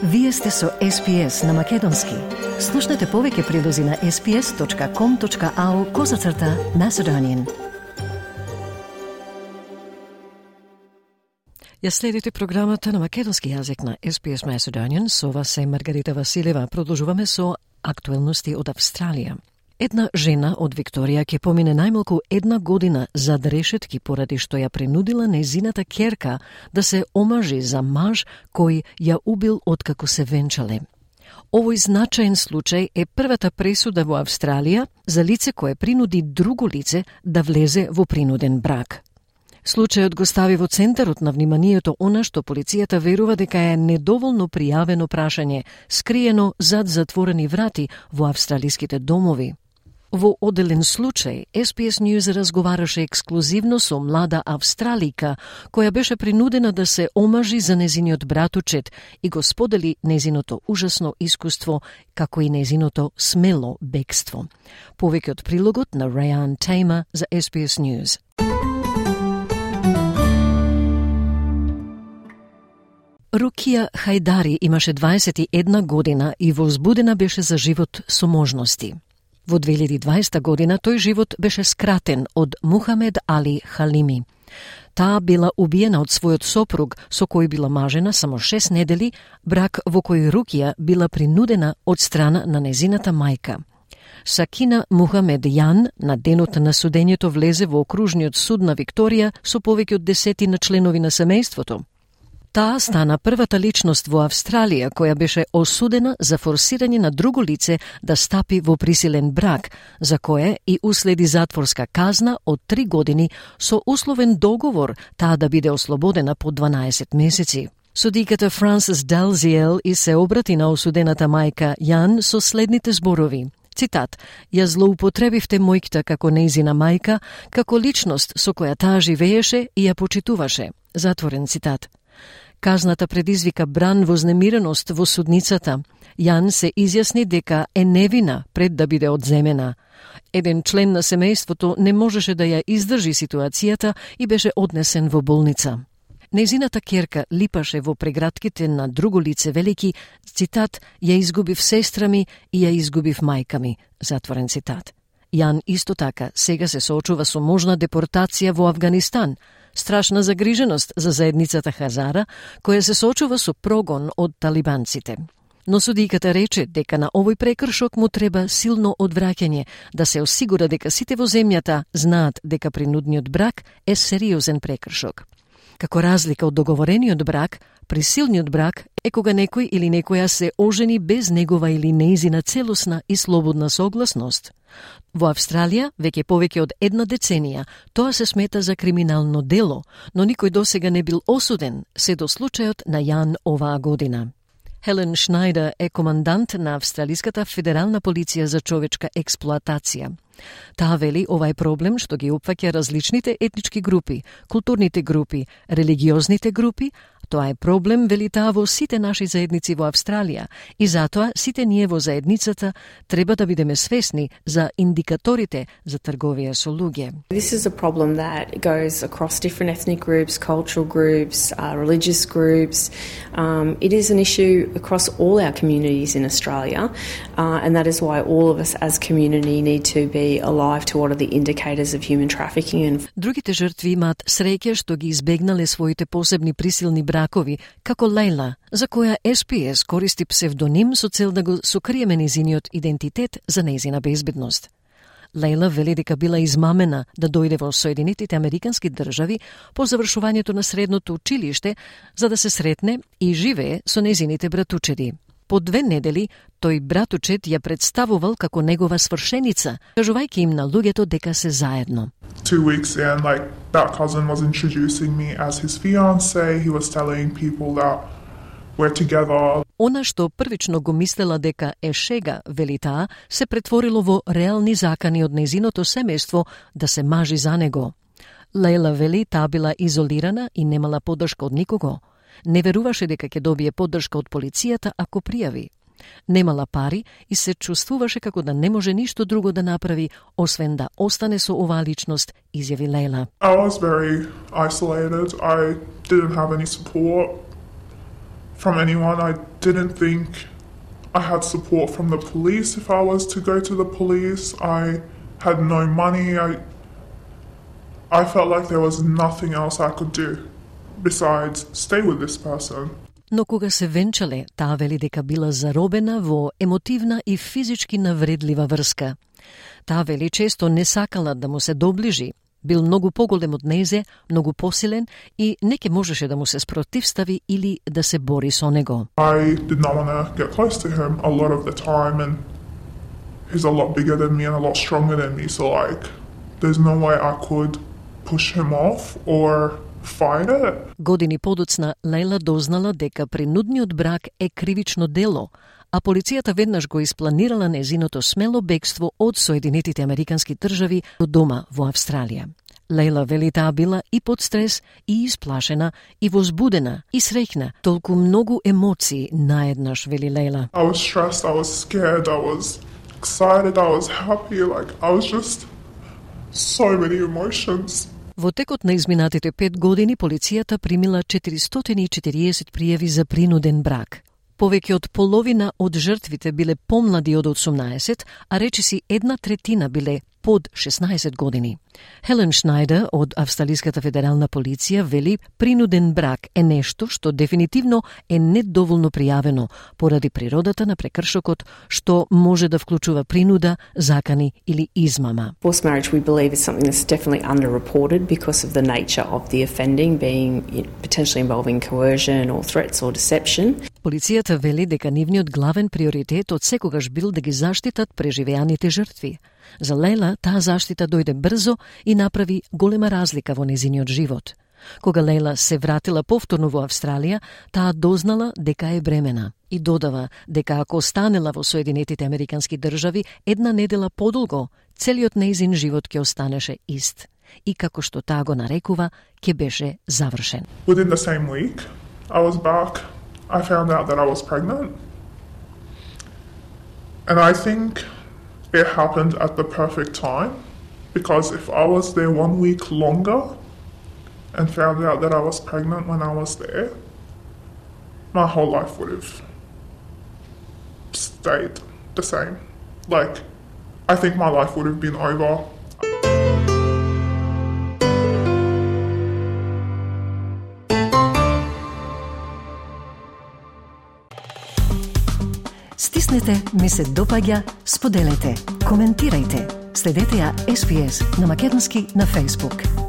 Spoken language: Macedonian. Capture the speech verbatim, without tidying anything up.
Вие сте со Ес Пи Ес на Македонски. Слушнете повеќе прилози на ес пи ес точка ком точка ау козацрта Macedonian. Ја следите програмата на македонски јазик на Ес Пи Ес Macedonian. Со вас е Маргарита Василева. Продолжуваме со актуелности од Австралија. Една жена од Викторија ќе помине најмалку една година зад решетки поради што ја принудила нејзината ќерка да се омажи за маж кој ја убил откако се венчале. Овој значаен случај е првата пресуда во Австралија за лице кое принуди друго лице да влезе во принуден брак. Случајот го стави во центарот на вниманието она што полицијата верува дека е недоволно пријавено прашање, скриено зад затворени врати во австралиските домови. Во оделен случај, Ес Пи Ес News разговараше ексклузивно со млада австралика, која беше принудена да се омажи за незиниот братучет и го сподели незиното ужасно искуство, како и незиното смело бегство. Повеќе од прилогот на Райан Тейма за Ес Пи Ес News. Рукија Хајдари имаше дваесет и една година и возбудена беше за живот со можности. Во две илјади и дваесета година тој живот беше скратен од Мухамед Али Халими. Таа била убиена од својот сопруг, со кој била мажена само шест недели, брак во кој Рукија била принудена од страна на незината мајка. Сакина Мухамед Јан на денот на судењето влезе во окружниот суд на Викторија со повеќе од десетина членови на семејството. Таа стана првата личност во Австралија која беше осудена за форсирање на друго лице да стапи во присилен брак, за кое и уследи затворска казна од три години со условен договор таа да биде ослободена по дванаесет месеци. Судиката Франсис Далзиел и се обрати на осудената мајка Јан со следните зборови. Цитат: "Ја злоупотребивте мојката како нејзина мајка, како личност со која таа живееше и ја почитуваше." Затворен цитат. Казната предизвика бран вознемиреност во судницата. Јан се изјасни дека е невина пред да биде одземена. Еден член на семејството не можеше да ја издржи ситуацијата и беше однесен во болница. Нејзината ќерка липаше во прегратките на друго лице, велики, цитат: "Ја изгубив сестра ми и ја изгубив мајка ми." Затворен цитат. Јан исто така сега се соочува со можна депортација во Авганистан, страшна загриженост за заедницата Хазара, која се соочува со прогон од талибанците. Но судиката рече дека на овој прекршок му треба силно одвраќање, да се осигура дека сите во земјата знаат дека принудниот брак е сериозен прекршок. Како разлика од договорениот брак, присилниот брак е кога некој или некоја се ожени без негова или нејзина целосна и слободна согласност. Во Австралија, веќе повеќе од една деценија, тоа се смета за криминално дело, но никој досега не бил осуден, се до случајот на Јан оваа година. Хелен Шнајдер е командант на Австралиската федерална полиција за човечка експлоатација. Таа вели ова е проблем што ги опфаќа различните етнички групи, културните групи, религиозните групи. Тоа е проблем, вели таа, во сите наши заедници во Австралија и затоа сите ние во заедницата треба да бидеме свесни за индикаторите за трговија со луѓе. This is a problem that goes across different ethnic groups, cultural groups, uh, religious groups. Um, it is an issue across all our communities in Australia, uh, and that is why all of us as community need to be alive to what are the indicators of human trafficking. And Другите жртви имаат среќа што ги избегнале своите посебни присилни бракови, како Лейла, за која Ес Пи Ес користи псевдоним со цел да го сокриеме незиниот идентитет за нејзина безбедност. Лейла вели дека била измамена да дојде во Соединетите Американски држави по завршувањето на средното училиште за да се сретне и живее со незините братучеди. По две недели, тој братучет ја представувал како негова свршеница, кажувајќи им на луѓето дека се заедно. Two weeks in, like, that cousin was introducing me as his fiancé. He was telling people that we're together. Она што првично го мислела дека е шега, вели таа, се претворило во реални закани од незиното семејство да се мажи за него. Лейла вели таа била изолирана и немала поддршка од никого. Не веруваше дека ќе добие поддршка од полицијата ако пријави. Немала пари и се чувствуваше како да не може ништо друго да направи, освен да остане со оваа личност, изјави Лейла. I was very isolated. I didn't have any support from anyone. I didn't think I had support from the police if I was to go to the police. I had no money. I I felt like there was nothing else I could do besides stay with this person. Но кога се венчале, таа вели дека била заробена во емотивна и физички навредлива врска. Таа вели често не сакала да му се доближи. Бил многу поголем од незе, многу посилен и не ке можеше да му се спротивстави или да се бори со него. I did not want to get close to him a lot of the time, and he's a lot bigger than me and a lot stronger than me, so like there's no way I could push him off or fight it. Години подоцна Лейла дознала дека принудниот брак е кривично дело, а полицијата веднаш го испланирала незиното смело бегство од Соединетите Американски држави до дома во Австралија. Лейла вели таа била и под стрес, и исплашена, и возбудена, и среќна. Толку многу емоции наеднаш, вели Лейла. I was stressed, I was scared, I was excited, I was happy, like I was just so many emotions. Во текот на изминатите пет години полицијата примила четиристотини и четириесет пријави за принуден брак. Повеќе од половина од жртвите биле помлади од осумнаесет, а речиси една третина биле под шеснаесет години. Хелен Шнајдер од Австралиската федерална полиција вели принуден брак е нешто што дефинитивно е недоволно пријавено поради природата на прекршокот, што може да вклучува принуда, закани или измама. Forced marriage, we believe, is something that's definitely underreported because of the nature of the offending being potentially involving coercion or threats or deception. Полицијата вели дека нивниот главен приоритет од секогаш бил да ги заштитат преживеаните жртви. За Лейла таа заштита дојде брзо и направи голема разлика во незиниот живот. Кога Лейла се вратила повторно во Австралија, таа дознала дека е бремена и додава дека ако останела во Соединетите Американски држави една недела подолго, целиот нејзин живот ќе останеше ист. И како што таа го нарекува, ќе беше завршен. Within the same week, I was back. I found out that I was pregnant. And I think it happened at the perfect time, because if I was there one week longer and found out that I was pregnant when I was there, my whole life would have stayed the same. Like, I think my life would have been over. Стиснете, ми се допаѓа, споделете, коментирајте. Следете ја Ес Би Ес на македонски на Facebook.